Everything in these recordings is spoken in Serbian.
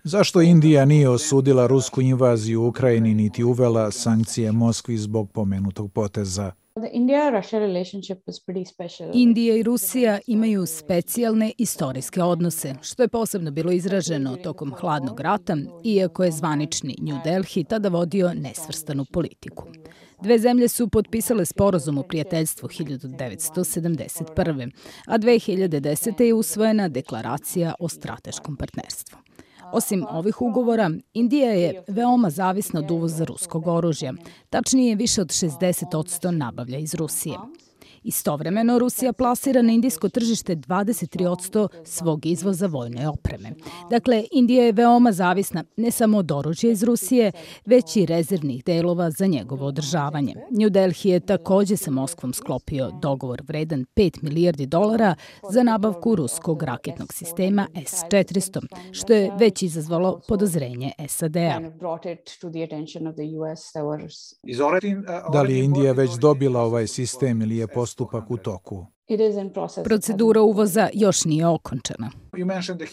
Zašto Indija nije osudila rusku invaziju u Ukrajini niti uvela sankcije Moskvi zbog pomenutog poteza? Indija i Rusija imaju specijalne istorijske odnose, što je posebno bilo izraženo tokom hladnog rata, iako je zvanični New Delhi tada vodio nesvrstanu politiku. Dve zemlje su potpisale sporazum o prijateljstvu 1971. a 2010. je usvojena deklaracija o strateškom partnerstvu. Osim ovih ugovora, Indija je veoma zavisna od uvoza ruskog oružja, tačnije više od 60% nabavlja iz Rusije. Istovremeno, Rusija plasira na indijsko tržište 23% svog izvoza vojne opreme. Dakle, Indija je veoma zavisna ne samo od oružja iz Rusije, već i rezervnih delova za njegovo održavanje. New Delhi je takođe sa Moskvom sklopio dogovor vredan $5 milijardi za nabavku ruskog raketnog sistema S-400, što je već izazvalo podozrenje SAD-a. Da li je Indija već dobila ovaj sistem ili je postupak u toku? Procedura uvoza još nije okončana.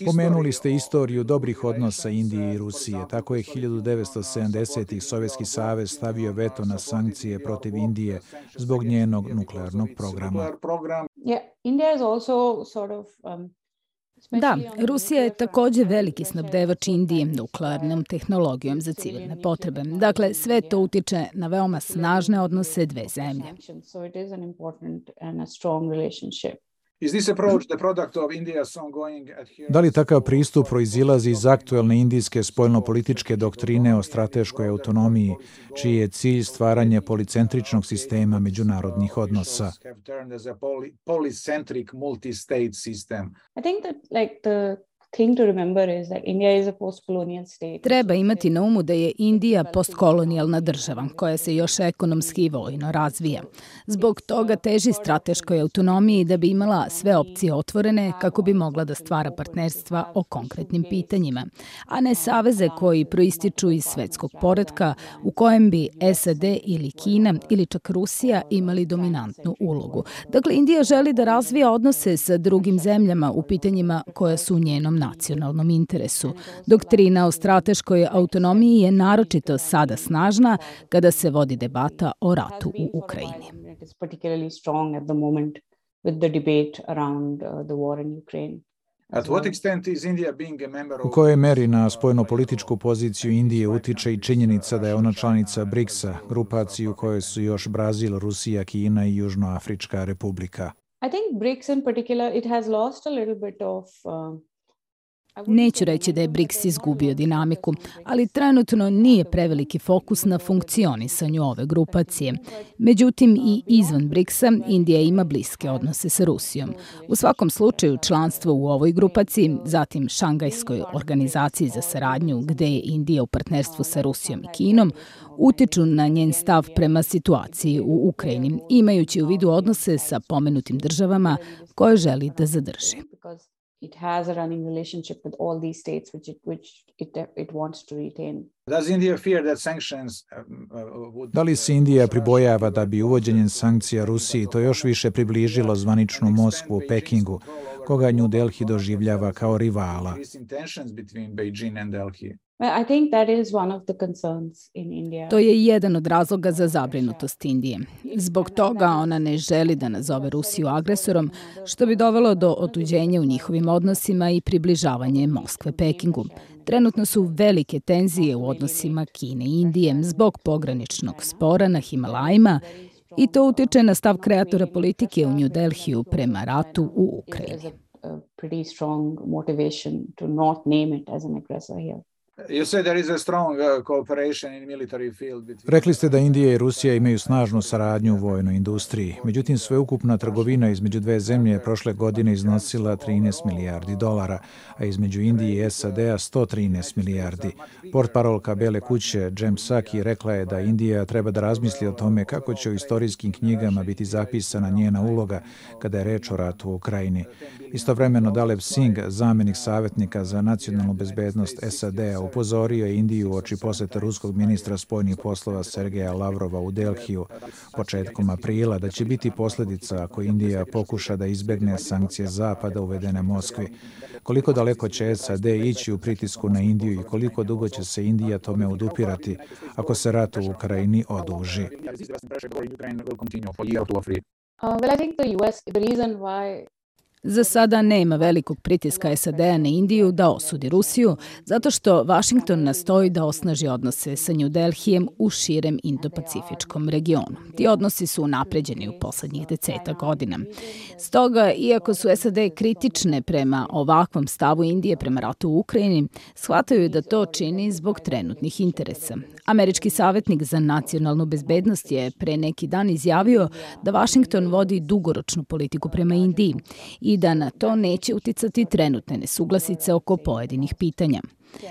Pomenuli ste istoriju dobrih odnosa Indije i Rusije. Tako je 1970-ih Sovjetski savez stavio veto na sankcije protiv Indije zbog njenog nuklearnog programa. Da, Rusija je takođe veliki snabdevač Indije nuklearnom tehnologijom za civilne potrebe. Dakle, sve to utiče na veoma snažne odnose dve zemlje. Da li takav pristup proizilazi iz aktuelne indijske spoljnopolitičke doktrine o strateškoj autonomiji, čiji je cilj stvaranje policentričnog sistema međunarodnih odnosa? Treba imati na umu da je Indija postkolonijalna država koja se još ekonomski i vojno razvija. Zbog toga teži strateškoj autonomiji da bi imala sve opcije otvorene kako bi mogla da stvara partnerstva o konkretnim pitanjima, a ne saveze koji proističu iz svetskog poretka u kojem bi SAD ili Kina ili čak Rusija imali dominantnu ulogu. Dakle, Indija želi da razvija odnose sa drugim zemljama u pitanjima koja su u njenom nacionalnom interesu. Doktrina o strateškoj autonomiji je naročito sada snažna kada se vodi debata o ratu u Ukrajini. U kojoj meri na spoljnopolitičku poziciju Indije utiče i činjenica da je ona članica BRICS-a, grupaciji u kojoj su još Brazil, Rusija, Kina i Južnoafrička republika? Neću reći da je BRICS izgubio dinamiku, ali trenutno nije preveliki fokus na funkcionisanju ove grupacije. Međutim, i izvan BRICS-a Indija ima bliske odnose sa Rusijom. U svakom slučaju, članstvo u ovoj grupaciji, zatim Šangajskoj organizaciji za saradnju, gde je Indija u partnerstvu sa Rusijom i Kinom, utiču na njen stav prema situaciji u Ukrajini, imajući u vidu odnose sa pomenutim državama koje želi da zadrži. It has a running relationship with all these states which it wants to retain. Da li se Indija pribojava da bi uvođenjem sankcija Rusiji to još više približilo zvaničnu Moskvu u Pekingu, koga New Delhi doživljava kao rivala? To je jedan od razloga za zabrinutost Indije. Zbog toga ona ne želi da nazove Rusiju agresorom, što bi dovelo do otuđenja u njihovim odnosima i približavanje Moskve Pekingu. Trenutno su velike tenzije u odnosima Kine i Indije zbog pograničnog spora na Himalajima i to utiče na stav kreatora politike u New Delhiju prema ratu u Ukrajini. Rekli ste da Indija i Rusija imaju snažnu saradnju u vojnoj industriji. Međutim, sveukupna trgovina između dve zemlje je prošle godine iznosila $13 milijardi, a između Indije i SAD-a 113 milijardi. Portparolka Bele kuće Jem Psaki rekla je da Indija treba da razmisli o tome kako će u istorijskim knjigama biti zapisana njena uloga kada je reč o ratu u Ukrajini. Istovremeno Dalep Singh, zamenik savjetnika za nacionalnu bezbednost SAD-a upozorio je Indiju uoči posete ruskog ministra spoljnih poslova Sergeja Lavrova u Delhiju početkom aprila da će biti posljedica ako Indija pokuša da izbjegne sankcije Zapada uvedene Moskvi. Koliko daleko će SAD ići u pritisku na Indiju i koliko dugo će se Indija tome odupirati ako se rat u Ukrajini oduži? Well, I think the reason why Za sada nema velikog pritiska SAD-a na Indiju da osudi Rusiju, zato što Vašington nastoji da osnaži odnose sa New Delhijem u širem Indo-Pacifičkom regionu. Ti odnosi su unapređeni u poslednjih 10 godina. Stoga, iako su SAD kritične prema ovakvom stavu Indije prema ratu u Ukrajini, shvataju da to čini zbog trenutnih interesa. Američki savjetnik za nacionalnu bezbednost je pre neki dan izjavio da Vašington vodi dugoročnu politiku prema Indiji i da na to neće uticati trenutne nesuglasice oko pojedinih pitanja.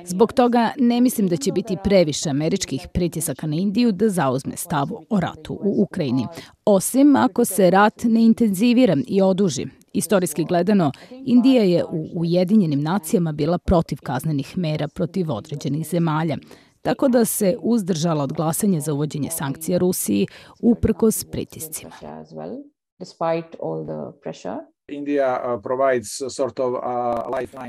Zbog toga ne mislim da će biti previše američkih pritisaka na Indiju da zauzme stav o ratu u Ukrajini, osim ako se rat ne intenzivira i oduži. Istorijski gledano, Indija je u Ujedinjenim nacijama bila protiv kaznenih mera protiv određenih zemalja, tako da se uzdržala od glasanja za uvođenje sankcija Rusiji uprkos pritiscima.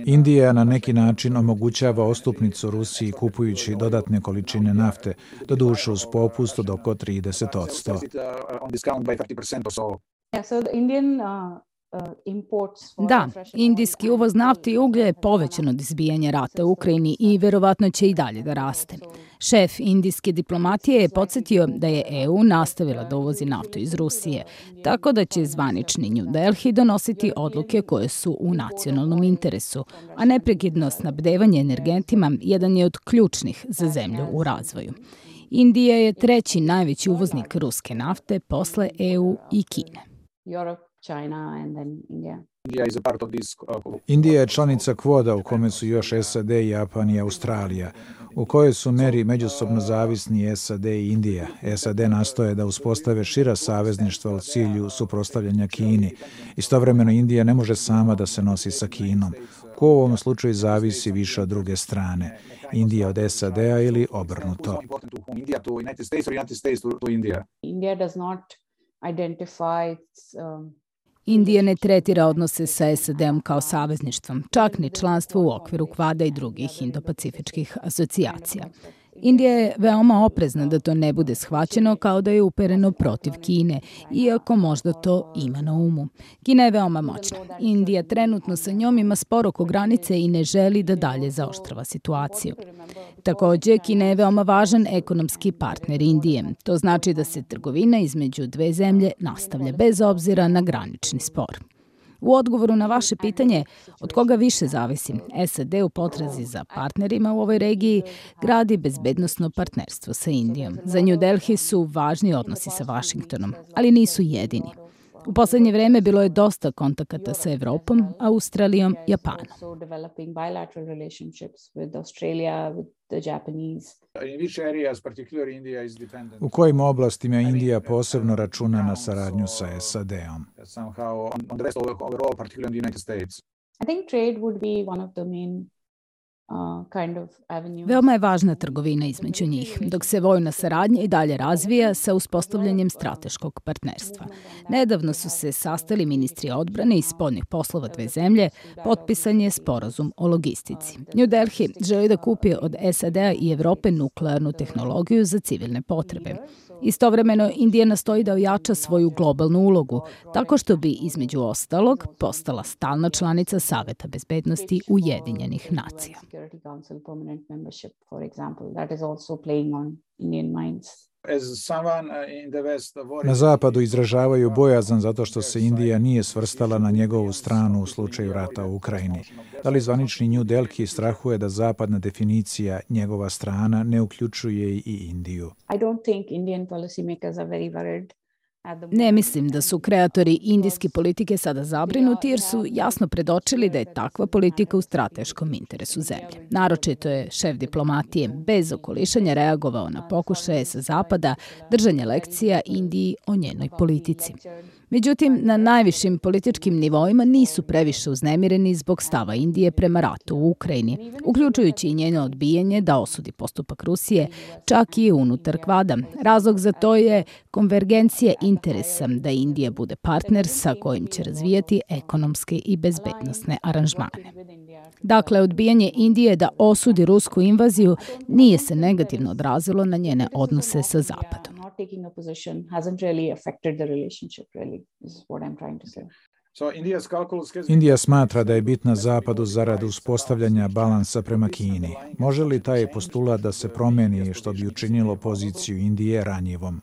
Indija na neki način omogućava ostupnicu Rusiji kupujući dodatne količine nafte, doduše uz popust od oko 30%. Da, indijski uvoz nafte i uglja je povećan od izbijanja rata u Ukrajini i verovatno će i dalje da raste. Šef indijske diplomatije je podsjetio da je EU nastavila da uvozi naftu iz Rusije, tako da će zvanični New Delhi donositi odluke koje su u nacionalnom interesu, a neprekidno snabdevanje energentima jedan je od ključnih za zemlju u razvoju. Indija je treći najveći uvoznik ruske nafte posle EU i Kine. China and then India. Indija je članica Quada u kome su još SAD, Japan i Australija, u kojoj su meri međusobno zavisni SAD i Indija. SAD nastoje da uspostave šira savezništva u cilju suprotstavljanja Kini. Istovremeno Indija ne može sama da se nosi sa Kinom. Ko u ovom slučaju zavisi više od druge strane, Indija od SAD-a ili obrnuto. India does not identify Indija ne tretira odnose sa SAD-om kao savezništvom, čak ni članstvo u okviru Quada i drugih indo-pacifičkih asocijacija. Indija je veoma oprezna da to ne bude shvaćeno kao da je upereno protiv Kine, iako možda to ima na umu. Kina je veoma moćna. Indija trenutno sa njom ima spor oko granice i ne želi da dalje zaoštrava situaciju. Takođe, Kina je veoma važan ekonomski partner Indije. To znači da se trgovina između dve zemlje nastavlja bez obzira na granični spor. U odgovoru na vaše pitanje od koga više zavisi, SAD u potrazi za partnerima u ovoj regiji gradi bezbednosno partnerstvo sa Indijom. Za New Delhi su važni odnosi sa Vašingtonom, ali nisu jedini. U poslednje vreme bilo je dosta kontakata sa Evropom, Australijom, Japanom. U kojim oblastima Indija posebno računa na saradnju sa SAD-om? I think trade would be one of the main Veoma je važna trgovina između njih, dok se vojna saradnja i dalje razvija sa uspostavljanjem strateškog partnerstva. Nedavno su se sastali ministri odbrane i spoljnih poslova dve zemlje, potpisan je sporazum o logistici. New Delhi želi da kupi od SAD-a i Evrope nuklearnu tehnologiju za civilne potrebe. Istovremeno, Indija nastoji da ojača svoju globalnu ulogu, tako što bi, između ostalog, postala stalna članica Saveta bezbednosti Ujedinjenih nacija. Na zapadu izražavaju bojazan zato što se Indija nije svrstala na njegovu stranu u slučaju rata u Ukrajini. Da li zvanični New Delhi strahuje da zapadna definicija njegova strana ne uključuje i Indiju? Ne mislim da su kreatori indijske politike sada zabrinuti jer su jasno predočili da je takva politika u strateškom interesu zemlje. Naročito je šef diplomatije bez okolišanja reagovao na pokušaje sa zapada držanja lekcija Indiji o njenoj politici. Međutim, na najvišim političkim nivoima nisu previše uznemireni zbog stava Indije prema ratu u Ukrajini, uključujući i njeno odbijanje da osudi postupak Rusije, čak i unutar Kvada. Razlog za to je konvergencija interesa da Indija bude partner sa kojim će razvijati ekonomske i bezbednosne aranžmane. Dakle, odbijanje Indije da osudi rusku invaziju nije se negativno odrazilo na njene odnose sa Zapadom. Indija smatra da je bitna Zapadu zarad uspostavljanja balansa prema Kini. Može li taj postulat da se promeni što bi učinilo poziciju Indije ranjivom?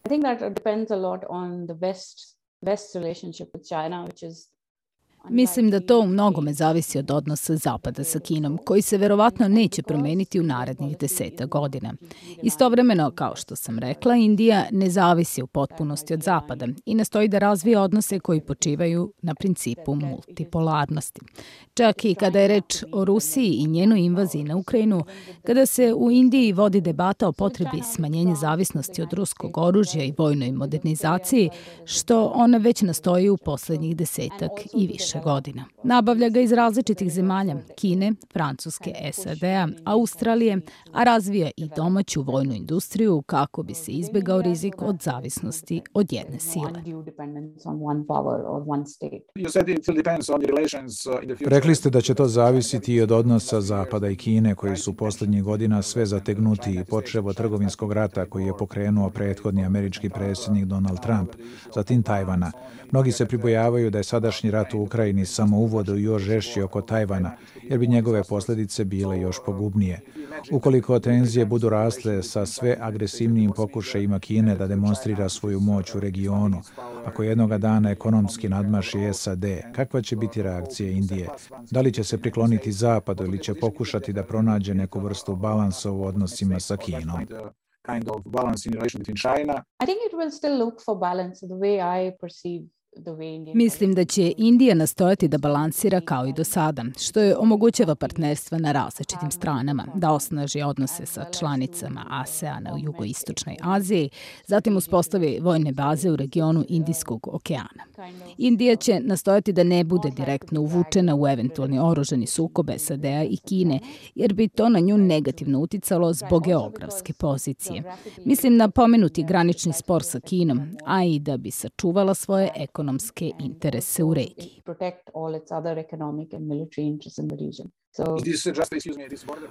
Mislim da to u mnogome zavisi od odnosa Zapada sa Kinom, koji se verovatno neće promeniti u narednih 10 godina. Istovremeno, kao što sam rekla, Indija ne zavisi u potpunosti od Zapada i nastoji da razvije odnose koji počivaju na principu multipolarnosti. Čak i kada je reč o Rusiji i njenoj invaziji na Ukrajinu, kada se u Indiji vodi debata o potrebi smanjenja zavisnosti od ruskog oružja i vojnoj modernizaciji, što ona već nastoji u poslednjih 10 i više godina. Nabavlja ga iz različitih zemalja, Kine, Francuske, SAD-a, Australije, a razvija i domaću vojnu industriju kako bi se izbegao rizik od zavisnosti od jedne sile. Rekli ste da će to zavisiti i od odnosa Zapada i Kine, koji su poslednjih godina sve zategnuti, počev od trgovinskog rata koji je pokrenuo prethodni američki predsjednik Donald Trump, zatim Tajvana. Mnogi se pribojavaju da je sadašnji rat u Ukrajini samo uvod u još žešći oko Tajvana, jer bi njegove posljedice bile još pogubnije. Ukoliko tenzije budu rasle sa sve agresivnijim pokušajima Kine da demonstrira svoju moć u regionu, ako jednoga dana ekonomski nadmaši SAD, kakva će biti reakcija Indije? Da li će se prikloniti Zapadu ili će pokušati da pronađe neku vrstu balansa u odnosima sa Kinom? Mislim da će Indija nastojati da balansira kao i do sada, što je omogućava partnerstva na različitim stranama, da osnaži odnose sa članicama ASEANA u jugoistočnoj Aziji, zatim uspostavi vojne baze u regionu Indijskog okeana. Indija će nastojati da ne bude direktno uvučena u eventualni oružani sukob SAD-a i Kine, jer bi to na nju negativno uticalo zbog geografske pozicije. Mislim na pomenuti granični spor sa Kinom, a i da bi sačuvala svoje ekonomske interese u regiji.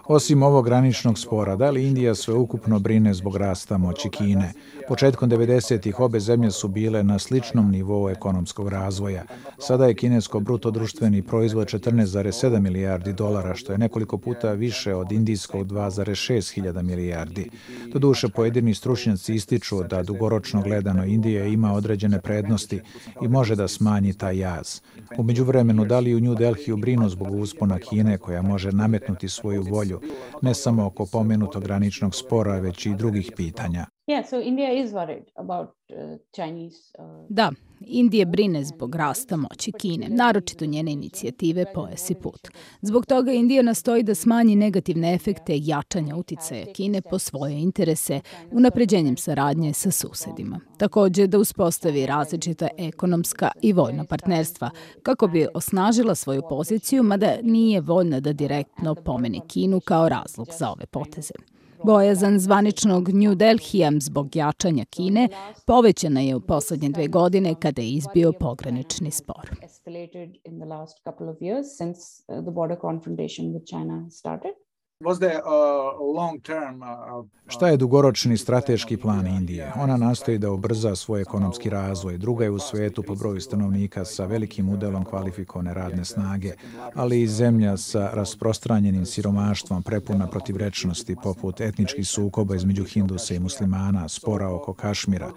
Osim ovog graničnog spora, da li Indija sveukupno brine zbog rasta moći Kine? Početkom 90-ih obe zemlje su bile na sličnom nivou ekonomskog razvoja. Sada je kinesko bruto društveni proizvod 14,7 milijardi dolara, što je nekoliko puta više od indijskog 2,6 hiljada milijardi. Doduše, pojedini stručnjaci ističu da dugoročno gledano Indija ima određene prednosti i može da smanji taj jaz. U međuvremenu, da li u New Delhiju brinu zbog uspona Kine, koja može nametnuti svoju volju, ne samo oko pomenutog graničnog spora, već i drugih pitanja? Da, Indija brine zbog rasta moći Kine, naročito njene inicijative Pojas i put. Zbog toga Indija nastoji da smanji negativne efekte jačanja uticaja Kine po svoje interese, unapređenjem saradnje sa susedima. Takođe da uspostavi različita ekonomska i vojna partnerstva, kako bi osnažila svoju poziciju, mada nije voljna da direktno pomene Kinu kao razlog za ove poteze. Bojazan zvaničnog New Delhija zbog jačanja Kine povećana je u poslednje 2 godine kada je izbio pogranični spor. Šta je dugoročni strateški plan Indije? Ona nastoji da ubrza svoj ekonomski razvoj. Druga je u svetu po broju stanovnika sa velikim udelom kvalifikovane radne snage, ali i zemlja sa rasprostranjenim siromaštvom, prepuna protivrečnosti poput etničkih sukoba između Hindusa i muslimana, spora oko Kašmira.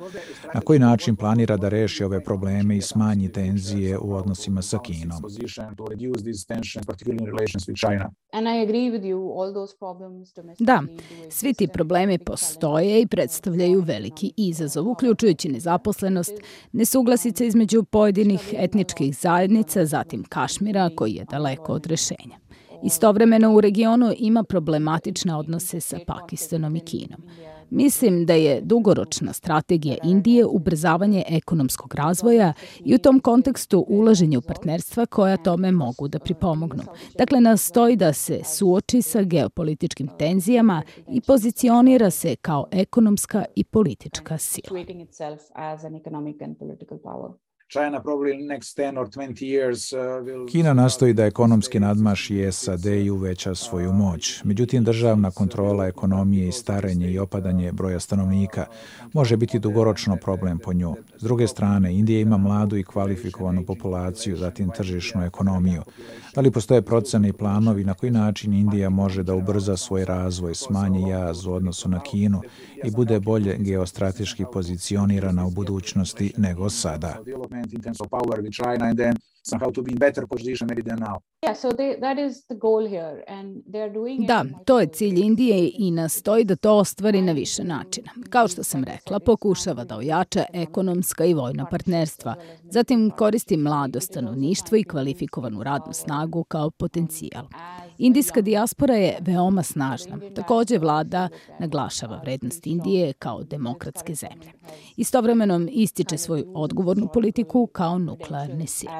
Na koji način planira da reši ove probleme i smanji tenzije u odnosima sa Kinom? Da, svi ti problemi postoje i predstavljaju veliki izazov, uključujući nezaposlenost, nesuglasice između pojedinih etničkih zajednica, zatim Kašmira, koji je daleko od rešenja. Istovremeno u regionu ima problematične odnose sa Pakistanom i Kinom. Mislim da je dugoročna strategija Indije ubrzavanje ekonomskog razvoja i u tom kontekstu ulaženje u partnerstva koja tome mogu da pripomognu. Dakle, nastoji da se suoči sa geopolitičkim tenzijama i pozicionira se kao ekonomska i politička sila. Kina nastoji da ekonomski nadmaši SAD i uveća svoju moć. Međutim, državna kontrola ekonomije i starenje i opadanje broja stanovnika može biti dugoročno problem po nju. S druge strane, Indija ima mladu i kvalifikovanu populaciju, zatim tržišnu ekonomiju. Da li postoje procene i planovi na koji način Indija može da ubrza svoj razvoj, smanji jaz u odnosu na Kinu i bude bolje geostrateški pozicionirana u budućnosti nego sada? Da, to je cilj Indije i nastoji da to ostvari na više načina. Kao što sam rekla, pokušava da ojača ekonomska i vojna partnerstva. Zatim koristi mlado stanovništvo i kvalifikovanu radnu snagu kao potencijal. Indijska dijaspora je veoma snažna. Takođe, vlada naglašava vrednost Indije kao demokratske zemlje. Istovremeno ističe svoju odgovornu politiku kao nuklearne sile.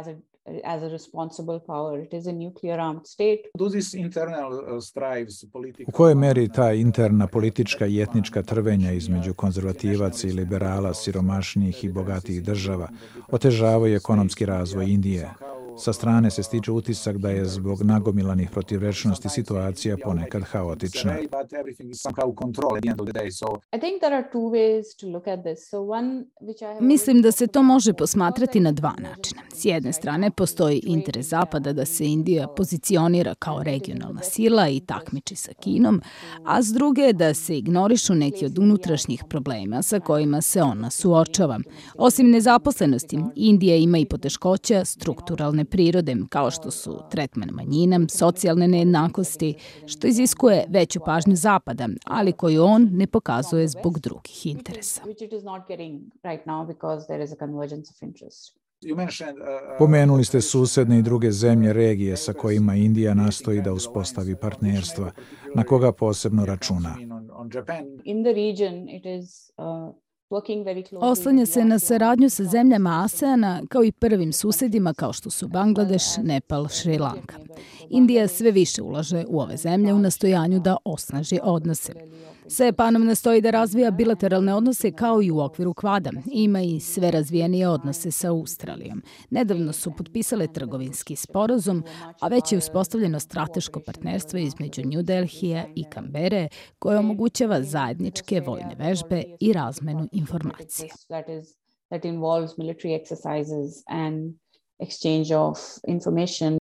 U kojoj meri ta interna politička i etnička trvenja između konzervativaca i liberala, siromašnijih i bogatijih država otežavaju ekonomski razvoj Indije? Sa strane se stiče utisak da je zbog nagomilanih protivrečnosti situacija ponekad haotična. Mislim da se to može posmatrati na dva načina. S jedne strane, postoji interes Zapada da se Indija pozicionira kao regionalna sila i takmiči sa Kinom, a s druge da se ignorišu neki od unutrašnjih problema sa kojima se ona suočava. Osim nezaposlenosti, Indija ima i poteškoća strukturalne prirode, kao što su tretman manjina, socijalne nejednakosti, što iziskuje veću pažnju Zapada, ali koju on ne pokazuje zbog drugih interesa. Pomenuli ste susedne i druge zemlje regije sa kojima Indija nastoji da uspostavi partnerstva. Na koga posebno računa? Oslanja se na saradnju sa zemljama ASEANA kao i prvim susedima kao što su Bangladeš, Nepal, Šri Lanka. Indija sve više ulaže u ove zemlje u nastojanju da osnaži odnose. Sa Japanom nastoji da razvija bilateralne odnose kao i u okviru Kvada. Ima i sve razvijenije odnose sa Australijom. Nedavno su potpisale trgovinski sporazum, a već je uspostavljeno strateško partnerstvo između New Delhija i Kambere koje omogućava zajedničke vojne vežbe i razmenu informacija.